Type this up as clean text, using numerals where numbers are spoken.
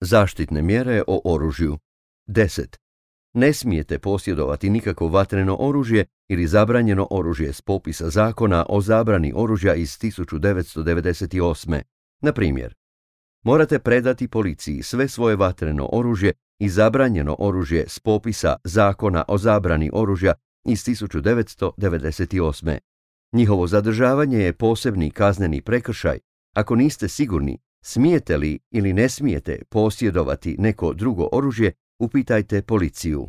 Zaštitne mjere o oružju. 10. Ne smijete posjedovati nikakvo vatreno oružje ili zabranjeno oružje s popisa zakona o zabrani oružja iz 1998. Na primjer, morate predati policiji sve svoje vatreno oružje i zabranjeno oružje s popisa zakona o zabrani oružja iz 1998. Njihovo zadržavanje je posebni kazneni prekršaj ako niste sigurni smijete li ili ne smijete posjedovati neko drugo oružje. Upitajte policiju.